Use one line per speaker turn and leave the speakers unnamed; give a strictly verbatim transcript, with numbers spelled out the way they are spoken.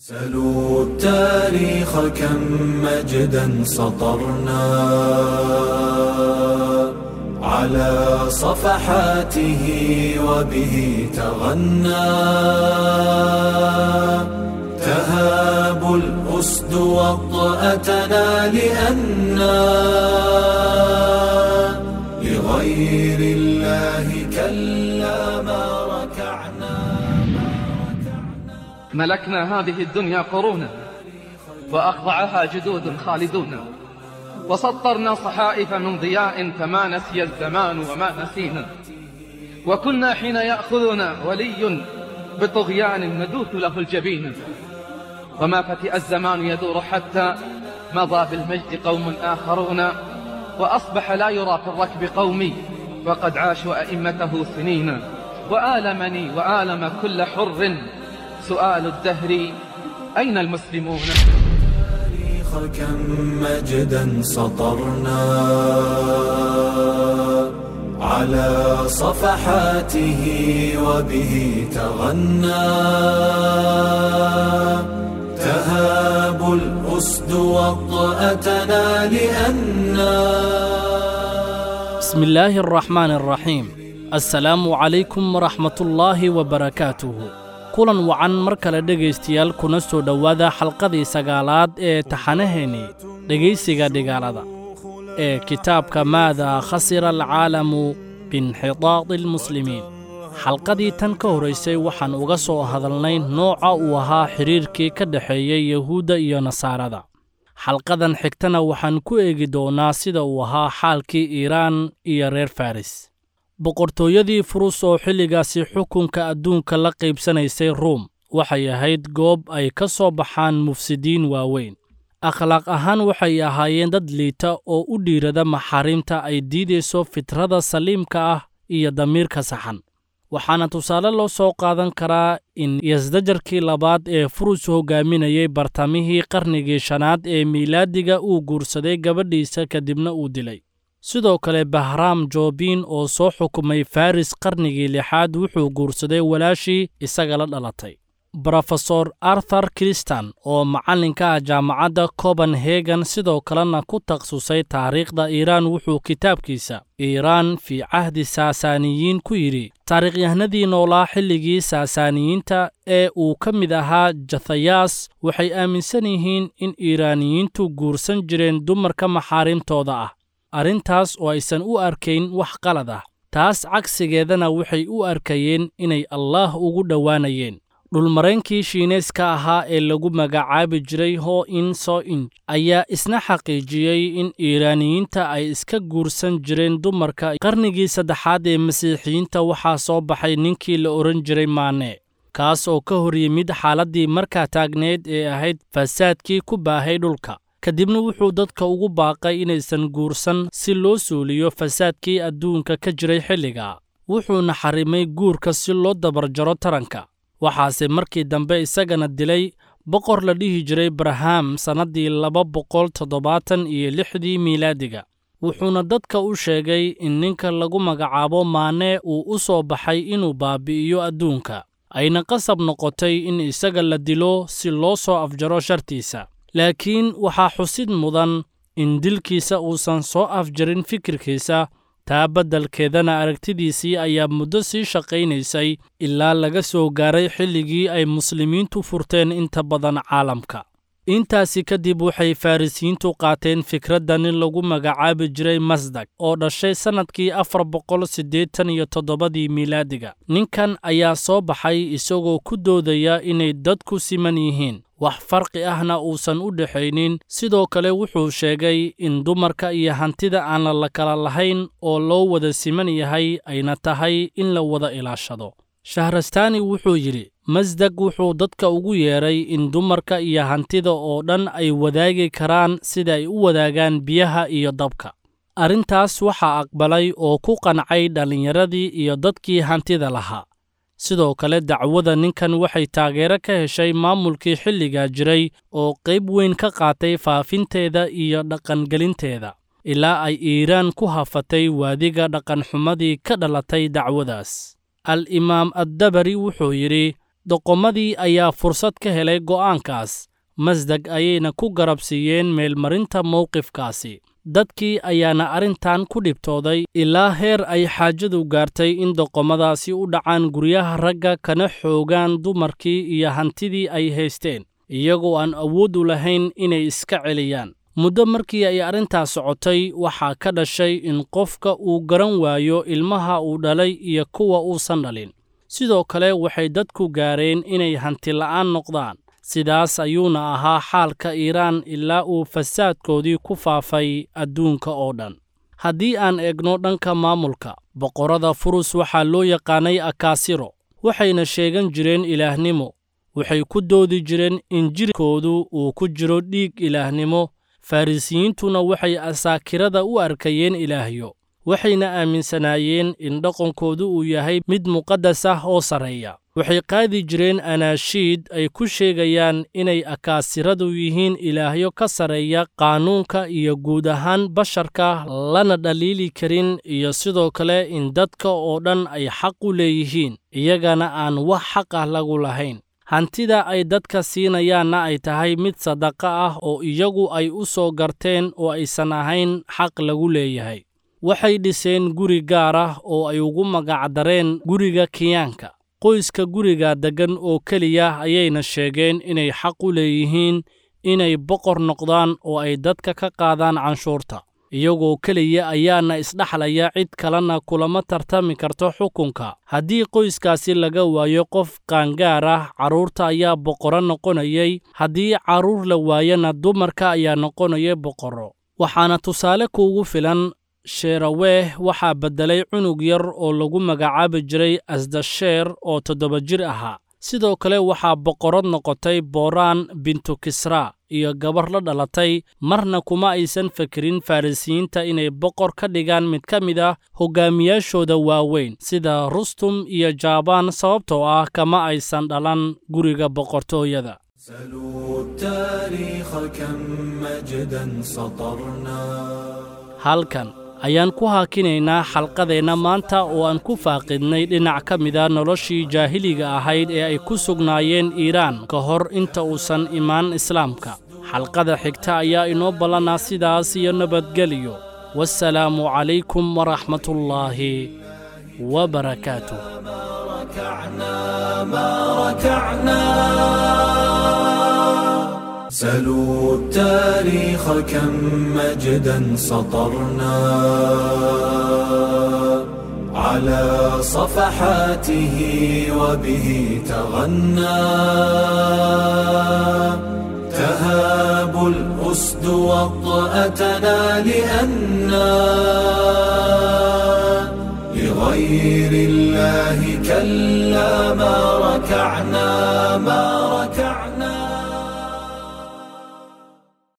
سلوا التاريخ كم مجدا سطرنا على صفحاته وبه تغنى تهاب الأسد وطأتنا لأنا لغير الله كلا ما ركعنا.
ملكنا هذه الدنيا قرونا وأخضعها جدود خالدون، وسطرنا صحائف من ضياء فما نسي الزمان وما نسينا، وكنا حين يأخذنا ولي بطغيان ندوث له الجبين، وما فتئ الزمان يدور حتى مضى بالمجد قوم آخرون، وأصبح لا يرى في الركب قومي وقد عاشوا أئمته سنين، وآلمني وآلم كل حر سؤال الدهر أين المسلمون؟
كم مجدا سطرنا على صفحاته وبه تغنى تهاب الأسد وطأتنا لأننا.
بسم الله الرحمن الرحيم. السلام عليكم ورحمة الله وبركاته. Kulan wacan mar kale dhegaystayaal, kuna soo dhowaada xalqadii sagaalaad ee taxanaheennii dhegaysiga dhigaalada ee kitaabka Maadaa Khasira Alcaalamu Biinxitaadi Almuslimiin. Xalqadii tan ka horraysay waxaan uga soo hadalnay nooca uu ahaa xiriirkii ka dhexeeyey Yahuudda iyo Nasaarada. Xalqadan xigtana waxaan ku eegi doonaa sida uu ahaa xaalkii Iiraan iyo reer Faris. Boqortooyadii Furus oo xilligaasi xukunka adduunka la qaybsanaysay Ruum waxay ahayd goob ay ka soo baxaan mufsidiin waaweyn. Akhlaaq ahaan waxay ahaayeen dad liita oo u dhiirada maxaarimta ay diidayso fitrada saliimka ah iyo damiirka saxan. Waxaana tusaale loo soo qaadan karaa in Yasdajarkii labaad ee Furus hogaaminayay bartamihii qarnigii shanaad ee miilaadiga uu guursaday gabadhiisa kadibna uu dilay. Sidoo kale Bahraam Joobin oo soo xukumay Faris qarnigii lixaad wuxuu guursaday walaashii isaga la dhalatay. Brofesor Arthur Christian oo macallinka ah jaamacadda Copenhagen sidoo kalena ku takhasusay taariikhda Iiraan wuxuu kitaabkiisa Iiraan fi Cahdi Saasaaniyiin ku yidhi: taariikhyahanadii noolaa xilligii Saasaaniyiinta ee uu ka mid ahaa Jathayaas waxay aaminsan yihiin in Iiraaniyiintu guursan jireen dumarka maxaarimtooda ah, arrintaas oo aysan u arkayn wax qalad ah. Taas cagsigeedana waxay u arkayeen inay Allaah ugu dhowaanayeen. Dhulmaraynkii Shiineyska ahaa ee lagu magacaabi jiray Ho In So Inj ayaa isna xaqiijiyey in Iiraaniyiinta ay iska guursan jireen dumarka. Qarnigii saddexaad ee Masiixiyiinta waxaa soo baxay ninkii la odhan jiray Maane, kaas oo ka hor yimid xaaladdii markaa taagneed ee ahayd fasaadkii ku baahay dhulka. Kadibna wuxuu dadka ugu baaqay inaysan guursan si loo suuliyo fasaadkii adduunka ka jiray xilliga. Wuxuuna xarimay guurka si loo dabarjaro taranka. Waxaase markii dambe isagana dilay boqor la dhihi jiray Barham sannaddii laba boqol toddobaatan iyo lixdii miilaadiga. Wuxuuna dadka u sheegay in ninka lagu magacaabo Maane uu u soo baxay inuu baabi'iyo adduunka, ayna qasab noqotay in isaga la dilo si loo soo afjaro shartiisa. Laakiin waxaa xusid mudan in dilkiisa uusan soo afjarin fikirkiisa, taa beddelkeedana aragtidiisii ayaa muddo sii shaqaynaysay ilaa laga soo gaaray xilligii ay muslimiintu furteen inta badan caalamka. Intaasi kadib waxay Farisiyiintu qaateen fikradda nin lagu magacaabi jiray Masdag oo dhashay sannadkii afar boqol siddeetan iyo toddobadii miilaadiga. Ninkan ayaa soo baxay isagoo ku doodaya inay dadku siman yihiin, wax farqi ahna uusan u dhexaynin. Sidoo kale wuxuu sheegay in dumarka iyo hantida aan la kala lahayn oo loo wada siman yahay ayna tahay in la wada ilaashado. Shahrastaani wuxuu yidhi: Masdag wuxuu dadka ugu yeeray in dumarka iyo hantida oo dhan ay wadaagi karaan sida ay u wadaagaan biyaha iyo dabka. Arrintaas waxaa aqbalay oo ku qancay dhallinyaradii iyo dadkii hantida lahaa. Sidoo kale dacwada ninkan waxay taageero ka heshay maamulkii xilligaa jiray oo qayb weyn ka qaatay faafinteeda iyo dhaqangelinteeda, ilaa ay Iiraan ku hafatay waadiga dhaqanxumadii ka dhalatay dacwadaas. Al-Imaam Addabari wuxuu yidhi: Doqomadii ayaa fursad ka helay go'aankaas, Masdag ayayna ku garabsiiyeen meelmarinta mowqifkaasi. Dadkii ayaana arrintan ku dhibtooday ilaa heer ay xaajadu gaartay in doqomadaasi u dhacaan guryaha ragga kana xoogaan dumarkii iyo hantidii ay haysteen, iyagoo aan awood u lahayn inay iska celiyaan. Muddo markii ay arrintaas socotay, waxaa ka dhashay in qofka uu garan waayo ilmaha uu dhalay iyo kuwa uusan dhalin. Sidoo kale waxay dadku gaareen inay hanti la'aan noqdaan. Sidaas ayuuna ahaa xaalka Iiraan ilaa uu fasaadkoodii ku faafay adduunka oo dhan. Haddii aan eegno dhanka maamulka, boqorrada Furus waxaa loo yaqaanay Akaasiro, waxayna sheegan jireen ilaahnimo. Waxay ku doodi jireen in jirkoodu uu ku jiro dhiig ilaahnimo. Farrisiyiintuna waxay asaakirada u arkayeen ilaahyo, waxayna aaminsanaayeen in dhaqankoodu uu yahay mid muqaddas ah oo sarreeya. Waxay qaadi jireen anaashiid ay ku sheegayaan inay akaasiradu yihiin ilaahyo ka sarreeya qaanuunka iyo guud ahaan basharka, lana dhaliili karin, iyo sidoo kale in dadka oo dhan ay xaq u leeyihiin, iyagana aan wax xaq ah lagu lahayn. Hantida ay dadka siinayaanna ay tahay mid sadaqa ah oo iyagu ay u soo garteen oo aysan ahayn xaq lagu leeyahay. Waxay dhiseen guri gaar ah oo ay ugu magacdareen guriga kiyaanka. Qoyska guriga deggan oo keliya ayayna sheegeen inay xaq u leeyihiin inay boqor noqdaan oo ay dadka ka qaadaan canshuurta. Iyagoo keliya ayaana isdhaxlaya, cid kalena kulama tartami karto xukunka. Haddii qoyskaasi laga waayo qof qaangaar ah, carruurta ayaa boqorro noqonayay, haddii carruur la waayana dumarka ayaa noqonaya boqorro. Waxaana tusaale kuugu filan Sheeraweeh waxaa beddelay cunug yar oo lagu magacaabi jiray Asdasheer oo toddoba jir ahaa. Sidoo kale waxaa boqorad noqotay Booraan bintu Kisraa iyo gabar la dhalatay. Marna kuma aysan fekerin Farrisiyiinta inay boqor ka dhigaan mid ka mid ah hoggaamiyaashooda waaweyn sida Rustum iyo Jaabaan, sababtoo ah kama aysan dhalan guriga boqortooyada. Halkan ayaan ku haakinaynaa xalqadeenna maanta oo aan ku faaqidnay dhinac ka mida noloshii jaahiliga ahayd ee ay ku sugnaayeen Iiraan ka hor inta uusan imaan Islaamka. Xalqada xigta ayaa inoo ballanaa sidaas iyo nabadgeliyo. Wassalaamu calaykum waraxmatullaahi wabarakaatuh.
سلوا التاريخ كم مجدا سطرنا على صفحاته وبه تغنى تهاب الأسد وطأتنا لأنا لغير الله كلا ما ركعنا ما ركعنا.